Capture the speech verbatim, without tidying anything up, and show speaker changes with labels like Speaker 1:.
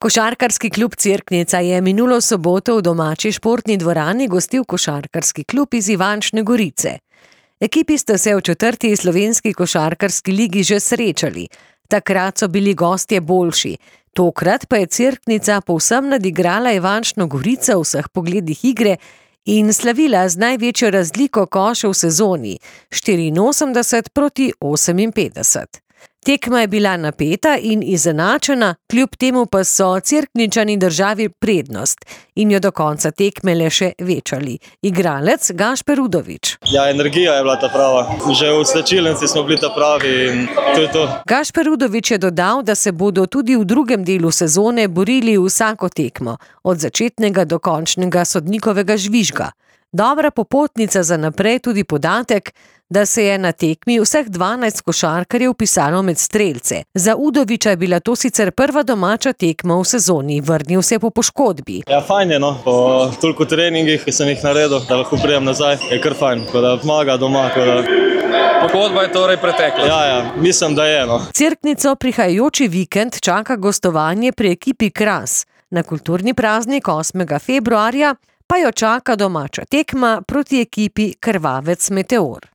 Speaker 1: Košarkarski klub Cerknica je minulo soboto v domači športni dvorani gostil košarkarski klub iz Ivančne Gorice. Ekipi sta se v četrti slovenski košarkarski ligi že srečali. Takrat so bili gostje boljši. Tokrat pa je Cerknica povsem nadigrala Ivančno Gorico v vseh pogledih igre in slavila z največjo razliko košev v sezoni, štiriinosemdeset proti oseminpetdeset. Tekma je bila napeta in izenačena, kljub temu pa so Cerkničani državi prednost in jo do konca tekme le še večali. Igralec Gašper Udovič.
Speaker 2: Ja, energija je bila ta prava. Že v slačilnici smo bili ta pravi in to je to.
Speaker 1: Gašper Udovič je dodal, da se bodo tudi v drugem delu sezone borili vsako tekmo, od začetnega do končnega sodnikovega žvižga. Dobra popotnica za naprej tudi podatek, da se je na tekmi vseh dvanajst košarkarjev vpisalo med strelce. Za Udoviča je bila to sicer prva domača tekma v sezoni, vrnil se po poškodbi.
Speaker 2: Ja, fajn je, no. Po toliko treningih, ki sem jih naredil, da lahko prijem nazaj, je kar fajn, ko da pomaga doma, ko da...
Speaker 3: Pogodba je torej pretekla.
Speaker 2: Ja, ja, mislim, da je, no.
Speaker 1: Cerknico prihajajoči vikend čaka gostovanje pri ekipi Kras. Na kulturni praznik osmega februarja pa jo čaka domača tekma proti ekipi Krvavec Meteor.